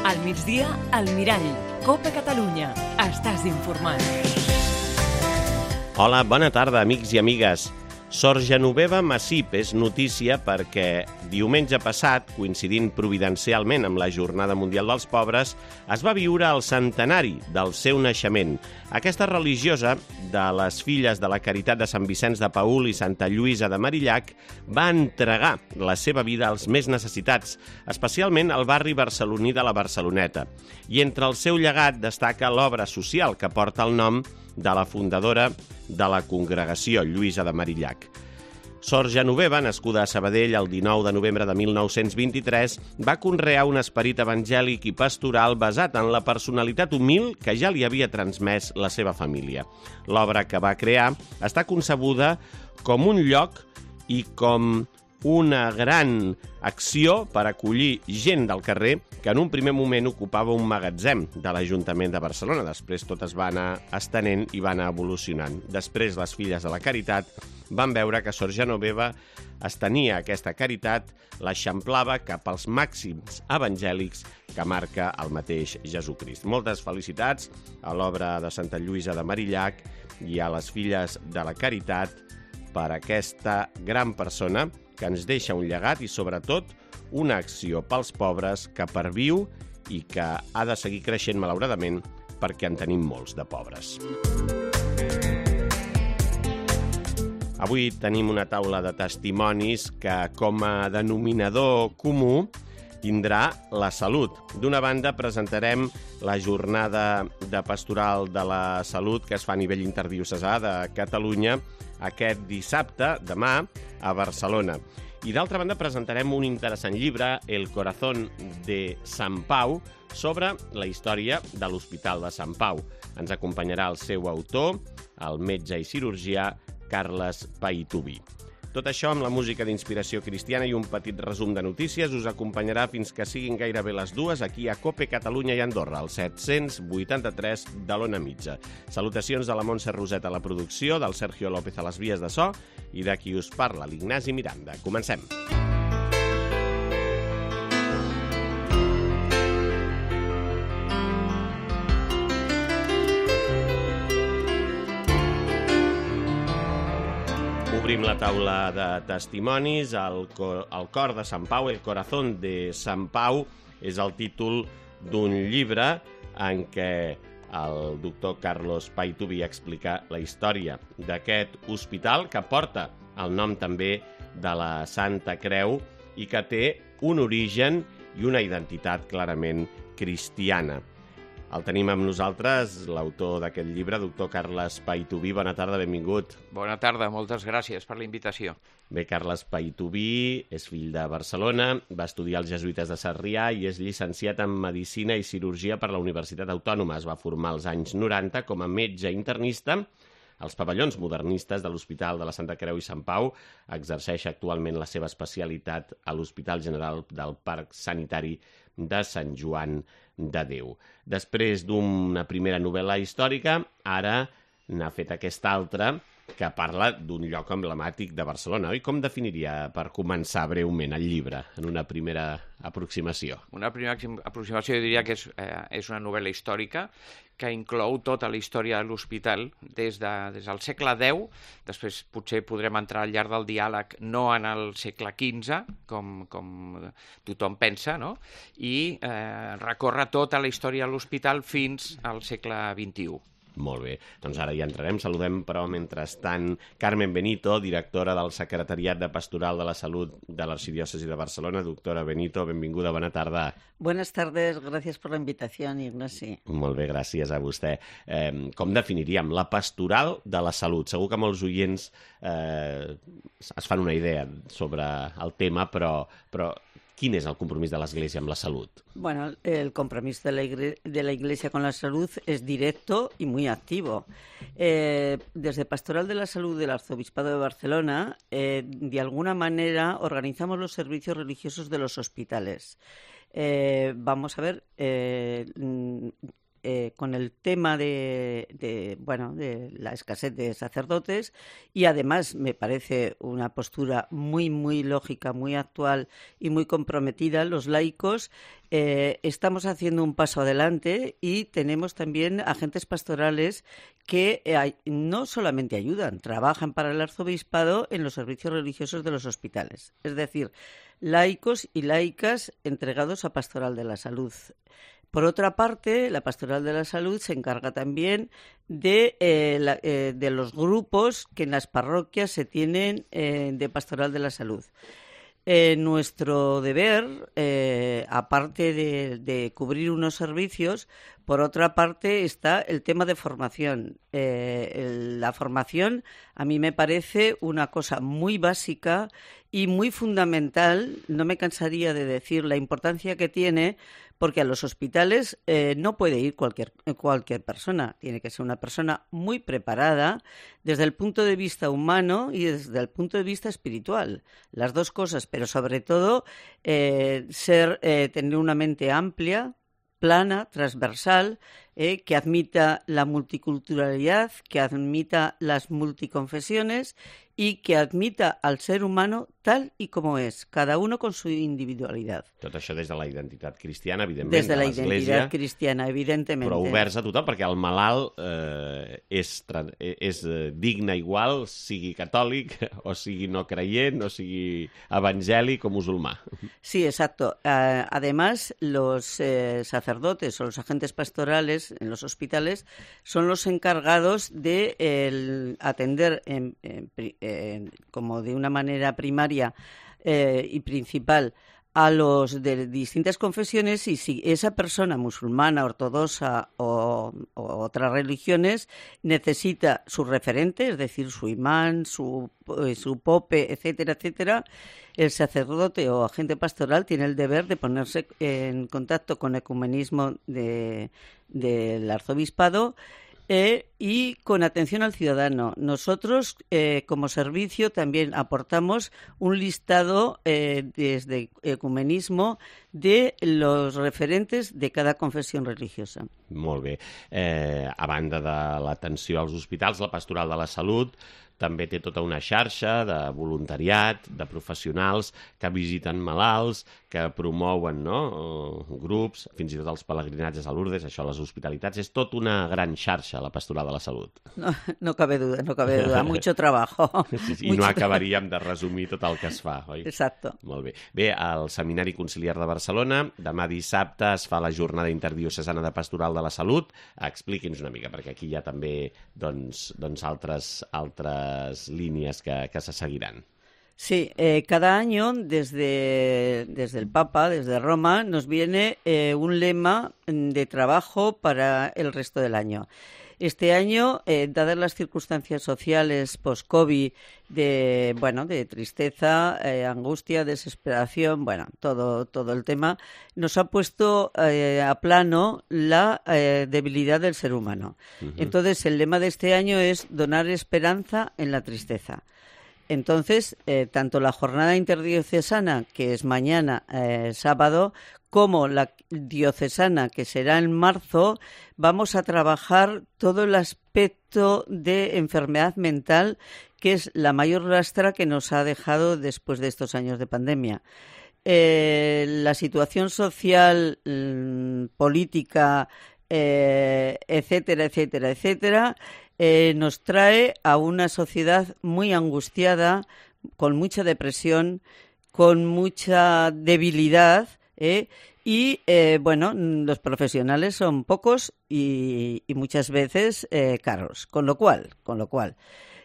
Al migdia, al Mirall. Copa Catalunya. Estàs informat. Hola, bona tarda, amics i amigues. Sor Genoveva Massip és notícia perquè diumenge passat, coincidint providencialment amb la Jornada Mundial dels Pobres, es va viure el centenari del seu naixement. Aquesta religiosa de les Filles de la Caritat de Sant Vicenç de Paül i Santa Lluïsa de Marillac va entregar la seva vida als més necessitats, especialment al barri barceloní de la Barceloneta. I entre el seu llegat destaca l'obra social que porta el nom de la fundadora de la congregació, Lluïsa de Marillac. Sor Genoveva, nascuda a Sabadell el 19 de novembre de 1923, va conrear un esperit evangèlic i pastoral basat en la personalitat humil que ja li havia transmès la seva família. L'obra que va crear està concebuda com un lloc i com una gran acció per acollir gent del carrer que en un primer moment ocupava un magatzem de l'Ajuntament de Barcelona. Després tot es va anar estenent i va anar evolucionant. Després les Filles de la Caritat van veure que Sor Genoveva estenia aquesta caritat, l'eixamplava cap als màxims evangèlics que marca el mateix Jesucrist. Moltes felicitats a l'obra de Santa Lluïsa de Marillac i a les Filles de la Caritat per aquesta gran persona que ens deixa un llegat i, sobretot, una acció pels pobres que perviu i que ha de seguir creixent, malauradament, perquè en tenim molts de pobres. Avui tenim una taula de testimonis que, com a denominador comú, tindrà la salut. D'una banda, presentarem la jornada de pastoral de la salut que es fa a nivell interdiocesà de Catalunya aquest dissabte, demà, a Barcelona. I d'altra banda presentarem un interessant llibre, El corazón de Sant Pau, sobre la història de l'Hospital de Sant Pau. Ens acompanyarà el seu autor, el metge i cirurgià Carles Paituví. Tot això amb la música d'inspiració cristiana i un petit resum de notícies us acompanyarà fins que siguin gairebé les 2 aquí a Cope Catalunya i Andorra, al 783 de l'Ona Mitja. Salutacions de la Montse Roset a la producció, del Sergio López a les vies de so i de qui us parla, l'Ignasi Miranda. Comencem. Obrim la taula de testimonis. El cor de Sant Pau, El corazón de Sant Pau, és el títol d'un llibre en què el doctor Carles Paituví explica la història d'aquest hospital que porta el nom també de la Santa Creu i que té un origen i una identitat clarament cristiana. El tenim amb nosaltres, l'autor d'aquest llibre, doctor Carles Paituví. Bona tarda, benvingut. Bona tarda, moltes gràcies per la invitació. Bé, Carles Paituví és fill de Barcelona, va estudiar als Jesuïtes de Sarrià i és llicenciat en Medicina i Cirurgia per la Universitat Autònoma. Es va formar als anys 90 com a metge internista als pavellons modernistes de l'Hospital de la Santa Creu i Sant Pau. Exerceix actualment la seva especialitat a l'Hospital General del Parc Sanitari de Sant Joan de Déu. Després d'una primera novel·la històrica, ara n'ha fet aquesta altra que parla d'un lloc emblemàtic de Barcelona. I com definiria, per començar breument, el llibre, en una primera aproximació? Una primera aproximació jo diria que és una novel·la històrica que inclou tota la història de l'hospital des del segle X, després potser podrem entrar al llarg del diàleg no en el segle XV, com tothom pensa, no? I recorre tota la història de l'hospital fins al segle XXI. Molt bé, doncs ara hi entrarem. Saludem, però, mentrestant, Carmen Benito, directora del Secretariat de Pastoral de la Salut de l'Arxidiòcesi de Barcelona. Doctora Benito, benvinguda, bona tarda. Buenas tardes, gracias por la invitación, Ignasi. Molt bé, gràcies a vostè. Com definiríem la pastoral de la salut? Segur que molts oients es fan una idea sobre el tema, però ¿quién es el compromiso de la Iglesia amb la salud? Bueno, el compromiso de la Iglesia con la salud es directo y muy activo. Desde Pastoral de la Salud del Arzobispado de Barcelona, de alguna manera organizamos los servicios religiosos de los hospitales. Vamos a ver, con el tema de la escasez de sacerdotes, y además me parece una postura muy, muy lógica, muy actual y muy comprometida. Los laicos estamos haciendo un paso adelante y tenemos también agentes pastorales que no solamente ayudan, trabajan para el arzobispado en los servicios religiosos de los hospitales. Es decir, laicos y laicas entregados a Pastoral de la Salud. Por otra parte, la Pastoral de la Salud se encarga también de los grupos que en las parroquias se tienen de Pastoral de la Salud. Nuestro deber, aparte de cubrir unos servicios, por otra parte está el tema de formación. La formación a mí me parece una cosa muy básica y muy fundamental. No me cansaría de decir la importancia que tiene, porque a los hospitales no puede ir cualquier persona. Tiene que ser una persona muy preparada desde el punto de vista humano y desde el punto de vista espiritual. Las dos cosas, pero sobre todo tener una mente amplia, plana, transversal, que admita la multiculturalidad, que admita las multiconfesiones y que admita al ser humano tal i com és, cada uno con su individualitat. Tot això des de la identitat cristiana, evidentment, des de la l'Església, identitat cristiana, evidentment. però oberts a tothom, perquè el malalt és digne igual, sigui catòlic, o sigui no creient, o sigui evangèlic o musulmà. Sí, exacto. Además, los sacerdotes o los agentes pastorales en los hospitales son los encargados de atender como de una manera primaria y principal a los de distintas confesiones, y si esa persona musulmana, ortodoxa o otras religiones necesita su referente, es decir, su imán, su pope, etcétera, etcétera, el sacerdote o agente pastoral tiene el deber de ponerse en contacto con el ecumenismo del arzobispado y con atención al ciudadano. Nosotros, como servicio, también aportamos un listado desde ecumenismo de los referentes de cada confessió religiosa. Molt bé. A banda de l'atenció als hospitals, la Pastoral de la Salut també té tota una xarxa de voluntariat, de professionals que visiten malalts, que promouen grups, fins i tot els pelegrinatges a Lourdes, això, les hospitalitats. És tot una gran xarxa, la Pastoral de la Salut. No cabe duda. Mucho trabajo. I no acabaríem de resumir tot el que es fa, oi? Exacto. Molt bé. Bé, al Seminari Conciliar de Barcelona, demà dissabte es fa la jornada interdiocesana de Pastoral de la Salut. Expliqui'ns una mica, perquè aquí hi ha també altres líneas que se seguirán. Sí, cada año desde el Papa, desde Roma, nos viene un lema de trabajo para el resto del año. Este año, dadas las circunstancias sociales post-COVID, de tristeza, angustia, desesperación, todo el tema, nos ha puesto a plano la debilidad del ser humano. Uh-huh. Entonces, el lema de este año es donar esperanza en la tristeza. Entonces, tanto la jornada interdiocesana, que es mañana, sábado, como la diocesana, que será en marzo, vamos a trabajar todo el aspecto de enfermedad mental, que es la mayor lastra que nos ha dejado después de estos años de pandemia. La situación social, política, etcétera, nos trae a una sociedad muy angustiada, con mucha depresión, con mucha debilidad, los profesionales son pocos y muchas veces caros. Con lo cual,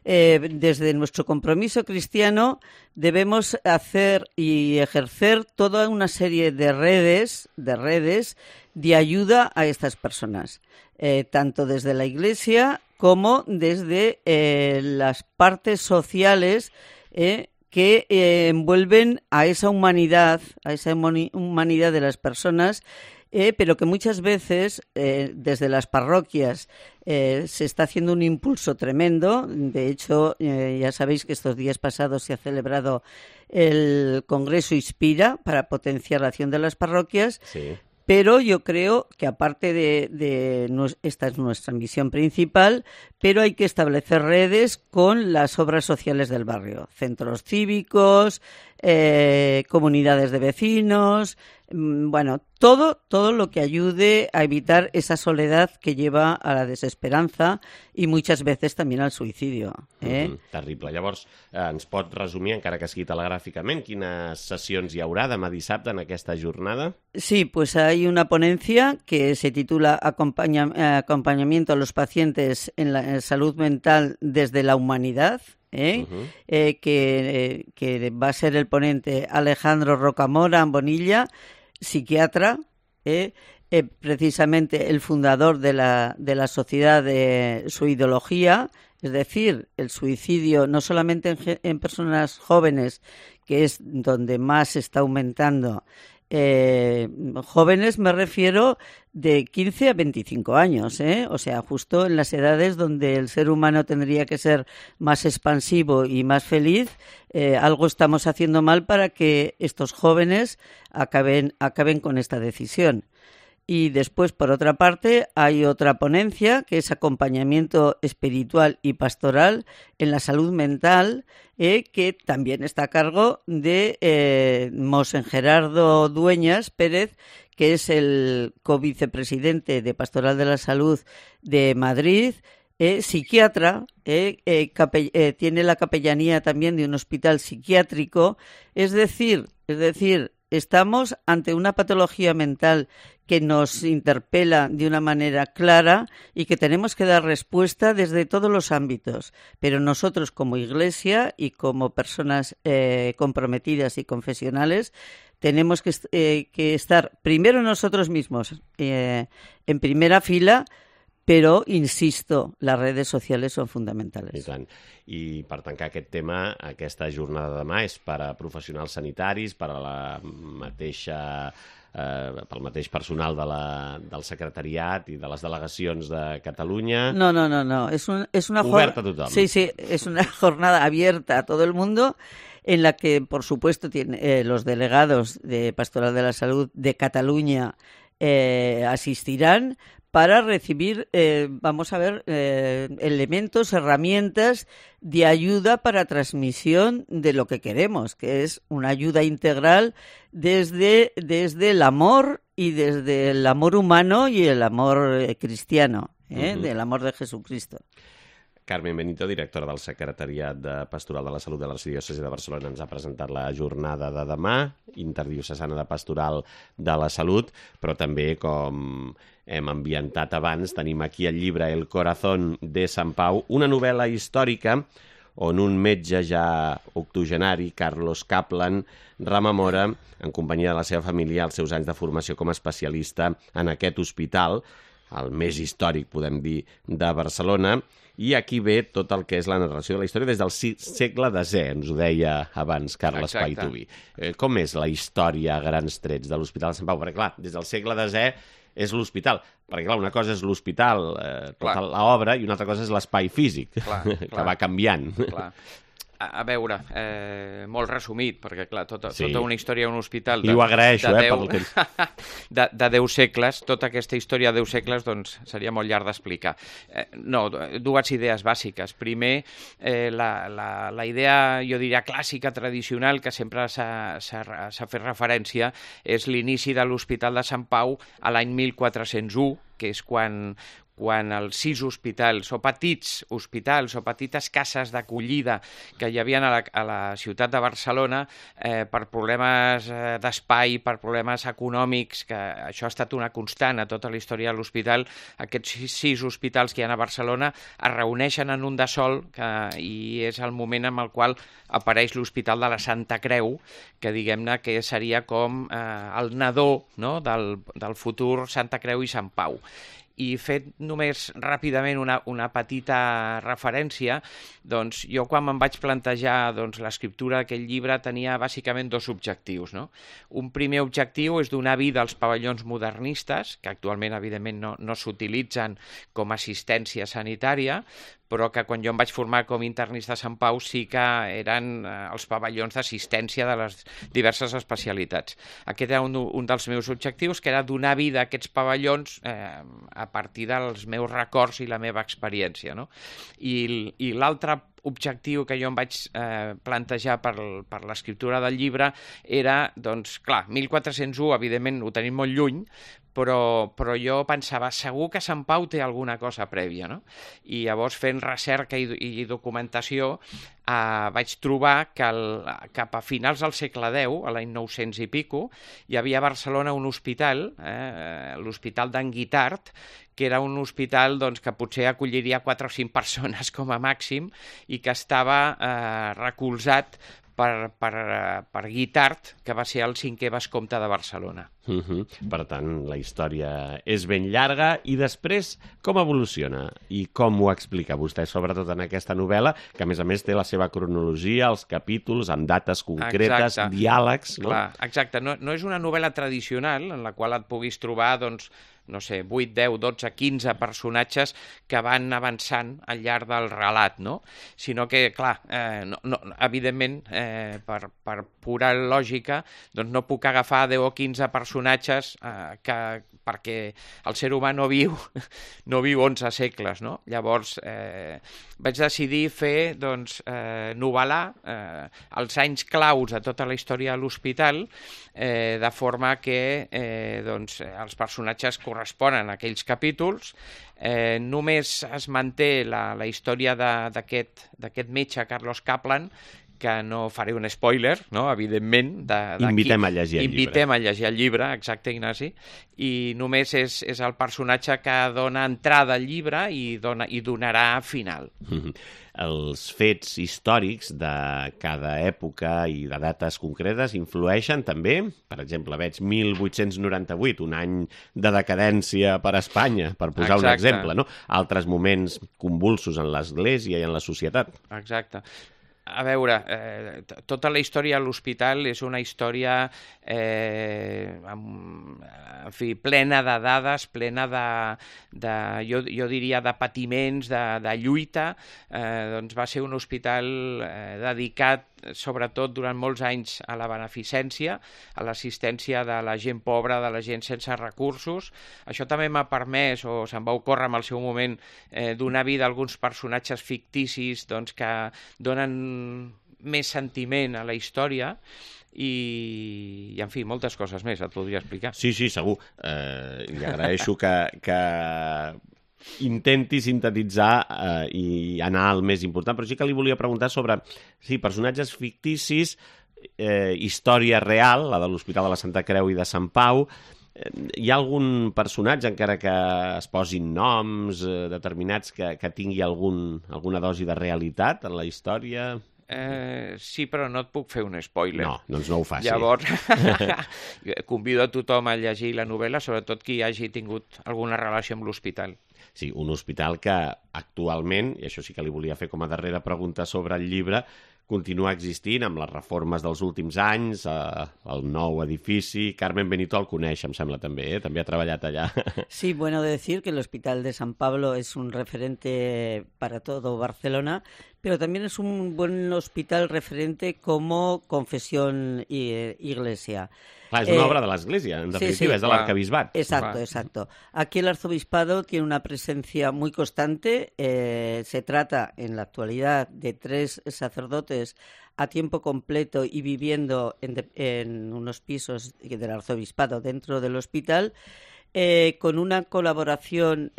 desde nuestro compromiso cristiano debemos hacer y ejercer toda una serie de redes de ayuda a estas personas, tanto desde la Iglesia como desde las partes sociales que envuelven a esa humanidad de las personas, pero que muchas veces desde las parroquias se está haciendo un impulso tremendo. De hecho, ya sabéis que estos días pasados se ha celebrado el Congreso Inspira para potenciar la acción de las parroquias. Sí. Pero yo creo que aparte esta es nuestra misión principal, pero hay que establecer redes con las obras sociales del barrio, centros cívicos, comunidades de vecinos, bueno, todo lo que ayude a evitar esa soledad que lleva a la desesperanza i muchas veces també al suïcidi. Terrible. Llavors, ens pot resumir, encara que sigui telegràficament, quines sessions hi haurà demà dissabte en aquesta jornada? Sí, pues hay una ponencia que se titula Acompañamiento a los pacientes en la salud mental desde la humanidad, que va a ser el ponente Alejandro Rocamora Bonilla, psiquiatra, precisamente el fundador de la Sociedad de Suidología, es decir, el suicidio no solamente en personas jóvenes, que es donde más está aumentando. Jóvenes me refiero de 15 a 25 años, o sea, justo en las edades donde el ser humano tendría que ser más expansivo y más feliz. Algo estamos haciendo mal para que estos jóvenes acaben con esta decisión. Y después, por otra parte, hay otra ponencia que es acompañamiento espiritual y pastoral en la salud mental, que también está a cargo de Monsen Gerardo Dueñas Pérez, que es el covicepresidente de Pastoral de la Salud de Madrid, psiquiatra, tiene la capellanía también de un hospital psiquiátrico, es decir, estamos ante una patología mental que nos interpela de una manera clara y que tenemos que dar respuesta desde todos los ámbitos. Pero nosotros como Iglesia y como personas comprometidas y confesionales tenemos que estar primero nosotros mismos en primera fila, però, insisto, les redes socials són fundamentals. I tant. I per tancar aquest tema, aquesta jornada de demà és per a professionals sanitaris, per a pel mateix personal del secretariat i de les delegacions de Catalunya. No. Es una oberta a tothom. Sí, es una jornada abierta a todo el mundo, en la que, por supuesto, los delegados de Pastoral de la Salud de Cataluña asistirán para recibir, elementos, herramientas de ayuda para transmisión de lo que queremos, que es una ayuda integral desde el amor y desde el amor humano y el amor cristiano, del amor de Jesucristo. Carmen Benito, directora del Secretariat de Pastoral de la Salut de l'Arxidiòcesi de Barcelona, ens ha presentat la jornada de demà, interdiocesana de Pastoral de la Salut, però també, com hem ambientat abans, tenim aquí el llibre El corazón de Sant Pau, una novel·la històrica on un metge ja octogenari, Carlos Kaplan, rememora, en companyia de la seva família, els seus anys de formació com a especialista en aquest hospital, el més històric, podem dir, de Barcelona, i aquí ve tot el que és la narració de la història des del segle X, ens ho deia abans Carles Paituvi. Com és la història a grans trets de l'Hospital de Sant Pau? Perquè, clar, des del segle X és l'hospital, perquè, clar, una cosa és l'hospital, tota l'obra, i una altra cosa és l'espai físic, que va canviant. Clar. A veure, molt resumit, perquè, clar, tota una història d'un hospital I ho agraeixo, de 10 segles, tota aquesta història de 10 segles, doncs, seria molt llarg d'explicar. No, dues idees bàsiques. Primer, la idea, jo diria, clàssica, tradicional, que sempre s'ha fet referència, és l'inici de l'Hospital de Sant Pau a l'any 1401, que és quan els 6 hospitals, o petits hospitals, o petites cases d'acollida que hi havia a la ciutat de Barcelona, per problemes d'espai, per problemes econòmics, que això ha estat una constant a tota la història de l'hospital, aquests 6 hospitals que hi ha a Barcelona es reuneixen en un de sol, i és el moment en el qual apareix l'Hospital de la Santa Creu, que diguem-ne que seria com el nadó, no?, del futur Santa Creu i Sant Pau. I fet només ràpidament una petita referència, doncs jo quan me'n vaig plantejar l'escriptura d'aquest llibre tenia bàsicament 2 objectius, no? Un primer objectiu és donar vida als pavellons modernistes, que actualment evidentment no s'utilitzen com a assistència sanitària, però que quan jo em vaig formar com internista a Sant Pau sí que eren els pavellons d'assistència de les diverses especialitats. Aquest era un dels meus objectius, que era donar vida a aquests pavellons a partir dels meus records i la meva experiència, no? I l'altre objectiu que jo em vaig plantejar per l'escriptura del llibre era, doncs, clar, 1401, evidentment, ho tenim molt lluny, però jo pensava, segur que Sant Pau té alguna cosa prèvia, no? I llavors, fent recerca i documentació, vaig trobar que cap a finals del segle X, a l'any 900 i pico, hi havia a Barcelona un hospital, l'Hospital d'en Guitart, que era un hospital doncs, que potser acolliria 4 o 5 persones com a màxim i que estava recolzat per Guitart, que va ser el 5è vescomte de Barcelona. Per tant, la història és ben llarga. I després, com evoluciona? I com ho explica vostè, sobretot en aquesta novel·la, que a més té la seva cronologia, els capítols, amb dates concretes, diàlegs... No? Clar, exacte. No és una novel·la tradicional en la qual et puguis trobar, doncs, no sé, 8, 10, 12, 15 personatges que van avançant al llarg del relat, no? Sinó que, clar, evidentment, per pura lògica, doncs no puc agafar 10 o 15 personatges perquè el ser humà no viu 11 segles, no? Llavors, vaig decidir fer, doncs, novel·lar els anys claus de tota la història de l'hospital, de forma que doncs, els personatges corresponen a aquells capítols. Només es manté la història d'aquest metge, Carlos Kaplan, que no faré un spoiler, no? Evidentment. Invitem a llegir el llibre. Invitem a llegir el llibre, exacte, Ignasi. I només és el personatge que dona entrada al llibre i donarà final. Els fets històrics de cada època i de dates concretes influeixen també. Per exemple, veig 1898, un any de decadència per a Espanya, per posar un exemple, no? Altres moments convulsos en l'Església i en la societat. Exacte. A veure, tota la història de l'hospital és una història plena de dades, plena jo diria, de patiments, de lluita. Doncs va ser un hospital dedicat, sobretot durant molts anys, a la beneficència, a l'assistència de la gent pobra, de la gent sense recursos. Això també m'ha permès, o se'm va ocórrer en el seu moment, donar vida a alguns personatges ficticis doncs, que donen més sentiment a la història i en fi, moltes coses més et podria explicar. Sí, segur. Li agraeixo que intenti sintetitzar i anar al més important, però sí que li volia preguntar sobre personatges ficticis, història real, la de l'Hospital de la Santa Creu i de Sant Pau. Hi ha algun personatge, encara que es posin noms determinats, que tingui alguna dosi de realitat en la història? Sí, però no et puc fer un spoiler. No, doncs no ho faci. Llavors, convido a tothom a llegir la novel·la, sobretot qui hagi tingut alguna relació amb l'hospital. Sí, un hospital que actualment, i això sí que li volia fer com a darrera pregunta sobre el llibre, continua existint amb les reformes dels últims anys, el nou edifici. Carmen Benito el coneix, em sembla, també, també ha treballat allà. Sí, bueno decir que el Hospital de San Pablo es un referente para todo Barcelona, pero también es un buen hospital referente como confesión y iglesia. Clar, és una obra de l'Església, en definitiva, sí, és de l'arcabisbat. Exacto. Aquí el arzobispado tiene una presencia muy constante. Se trata, en la actualidad, de 3 sacerdotes a tiempo completo y viviendo en unos pisos del arzobispado dentro del hospital, con una colaboración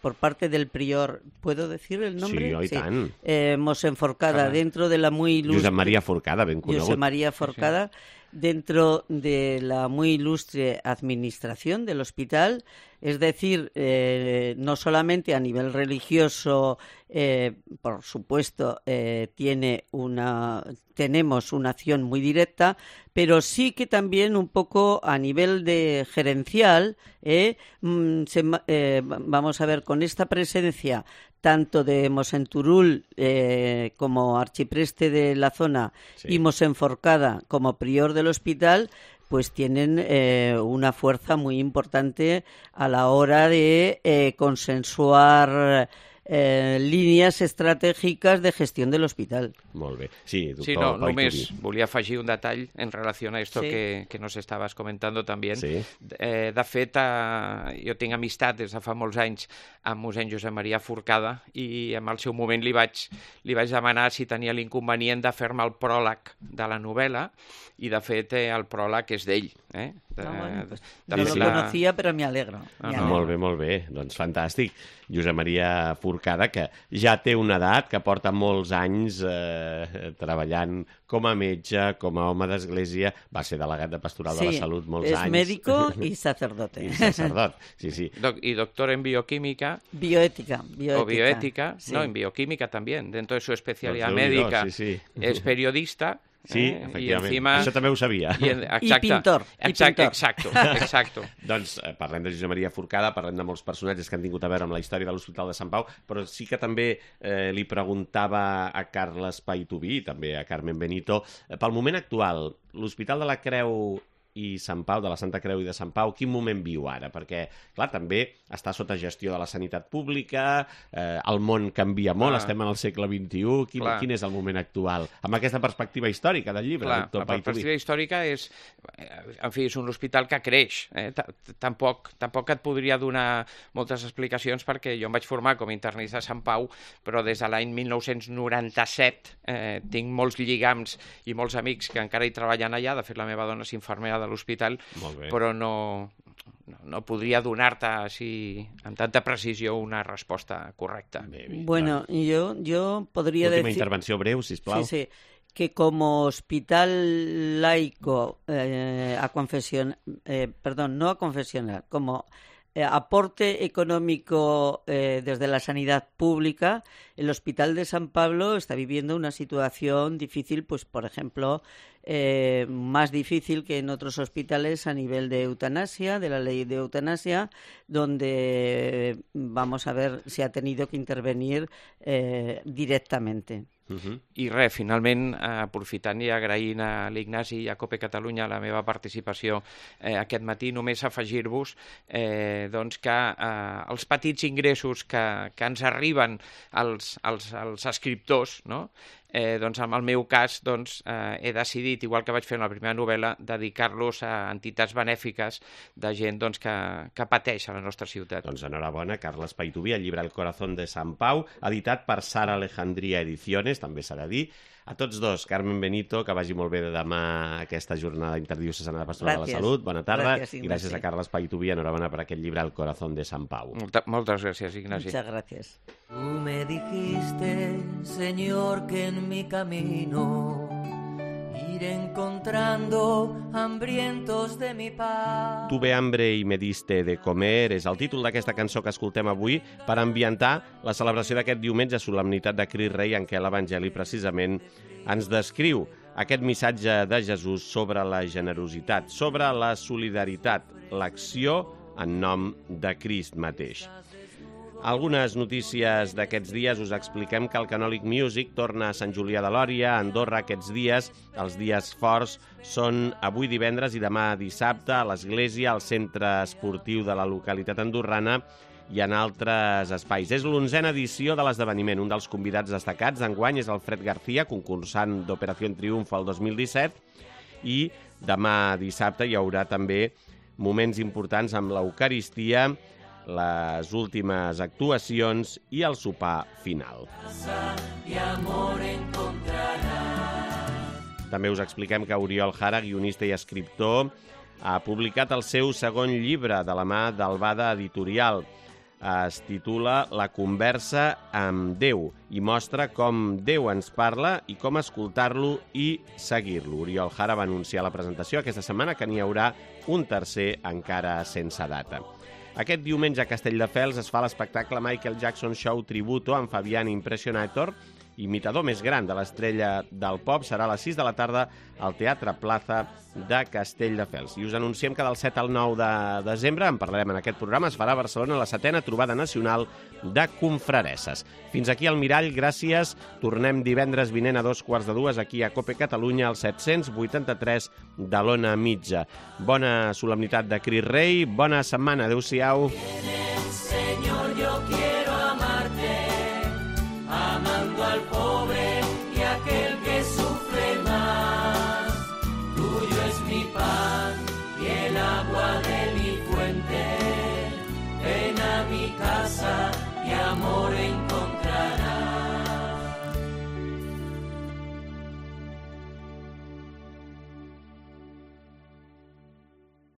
por parte del prior, ¿puedo decir el nombre? Sí, oi tant. Mossèn Forcada, dentro de la muy ilustre... Josep Maria Forcada, ben conegut. Josep Maria Forcada, dentro de la muy ilustre administración del hospital, es decir, no solamente a nivel religioso, por supuesto, tenemos una acción muy directa, pero sí que también un poco a nivel de gerencial, vamos a ver, con esta presencia tanto de Mossèn Turull como archipreste de la zona, sí, y Mossèn Forcada como prior del hospital, pues tienen una fuerza muy importante a la hora de consensuar líneas estratégicas de gestión del hospital. Molt bé. Sí, doctor Sí, no, Paituví. només volia afegir un detall en relació a esto Sí. que nos estabas comentando también. Sí. De fet, jo tinc amistat des de fa molts anys amb mossèn Josep Maria Forcada i en el seu moment li vaig demanar si tenia l'inconvenient de fer-me el pròleg de la novel·la i, de fet, el pròleg és d'ell. Bueno, pues, de no fet, lo conocía, pero me alegro. Molt bé. Doncs fantàstic. Josep Maria Forcada, que ja té una edat, que porta molts anys treballant com a metge, com a home d'església, va ser delegat de Pastoral de la Salut molts anys. Sí, es médico y sacerdote. I sacerdot, sí. Y doctor en bioquímica. Bioética. O bioética, sí. no, en bioquímica también. Dentro de su especialidad Doncs Déu-n'hi-do, médica sí. es periodista. Sí, y efectivament. encima... Això també ho sabia. I pintor. Exacto. Doncs parlem de Josep Maria Forcada, parlem de molts personatges que han tingut a veure amb la història de l'Hospital de Sant Pau, però sí que també li preguntava a Carles Paituví, també a Carmen Benito, pel moment actual, l'Hospital de la Creu i Sant Pau, de la Santa Creu i de Sant Pau, quin moment viu ara? Perquè, clar, també està sota gestió de la sanitat pública, el món canvia molt, estem en el segle XXI, quin és el moment actual? Amb aquesta perspectiva històrica del llibre, doctor Paituví. La perspectiva històrica és, en fi, és un hospital que creix. Tampoc et podria donar moltes explicacions perquè jo em vaig formar com a internista a Sant Pau, però des de l'any 1997 tinc molts lligams i molts amics que encara hi treballen allà. De fet, la meva dona és infermera de l'hospital, però no podria donar-te així amb tanta precisió una resposta correcta. Bueno, yo podría decir... Última intervenció breu, sisplau. Sí, que como hospital laico, no a confesional, como aporte económico desde la sanidad pública, el Hospital de San Pablo está viviendo una situación difícil, pues por ejemplo, más difícil que en otros hospitales a nivel de eutanasia, de la ley de eutanasia, donde vamos a ver si ha tenido que intervenir directament. I res, finalment, aprofitant i agraint a l'Ignasi i a COPE Catalunya la meva participació aquest matí, només afegir-vos doncs que els petits ingressos que ens arriben als escriptors, no? Doncs en el meu cas he decidit, igual que vaig fer en la primera novel·la, dedicar-los a entitats benèfiques de gent que pateix a la nostra ciutat. Doncs enhorabona, Carles Paituví, el llibre El corazón de Sant Pau, editat per Sara Alejandría Ediciones, també s'ha de dir. A tots dos, Carmen Benito, que vagi molt bé de demà aquesta jornada interdiocesana de Pastoral de la Salut. Bona tarda. I gràcies a Carles Paituví, enhorabona per aquest llibre El corazón de Sant Pau. Moltes gràcies, Ignasi. Muchas gracias. Tú me dijiste, Señor, que en mi camino iré encontrando hambrientos de mi paz. Tuve hambre y me diste de comer és el títol d'aquesta cançó que escoltem avui per ambientar la celebració d'aquest diumenge, solemnitat de Crist Rei, en què l'Evangeli precisament ens descriu aquest missatge de Jesús sobre la generositat, sobre la solidaritat, l'acció en nom de Crist mateix. Algunes notícies d'aquests dies. Us expliquem que el Canòlic Music torna a Sant Julià de Lòria, a Andorra, aquests dies. Els dies forts són avui divendres i demà dissabte a l'església, al centre esportiu de la localitat andorrana i en altres espais. És l'11a edició de l'esdeveniment. Un dels convidats destacats d'enguany és el Fred García, concursant d'Operació Triunfo el 2017, i demà dissabte hi haurà també moments importants amb l'Eucaristia, les últimes actuacions i el sopar final. També us expliquem que Oriol Jara, guionista i escriptor, ha publicat el seu segon llibre de la mà d'Albada Editorial. Es titula La conversa amb Déu i mostra com Déu ens parla i com escoltar-lo i seguir-lo. Oriol Jara va anunciar a la presentació aquesta setmana que n'hi haurà un tercer encara sense data. Aquest diumenge a Castelldefels es fa l'espectacle Michael Jackson Show Tributo amb Fabian Impressionator, imitador més gran de l'estrella del pop. Serà a les 6 de la tarda al Teatre Plaza de Castelldefels. I us anunciem que del 7 al 9 de desembre, en parlarem en aquest programa, es farà a Barcelona la 7a trobada nacional de confraresses. Fins aquí el Mirall, gràcies. Tornem divendres vinent a 2:45 aquí a COPE Catalunya, al 783 de l'Ona Mitja. Bona solemnitat de Crist Rei, bona setmana, adeu-siau. Señor, yo quiero amarte. amor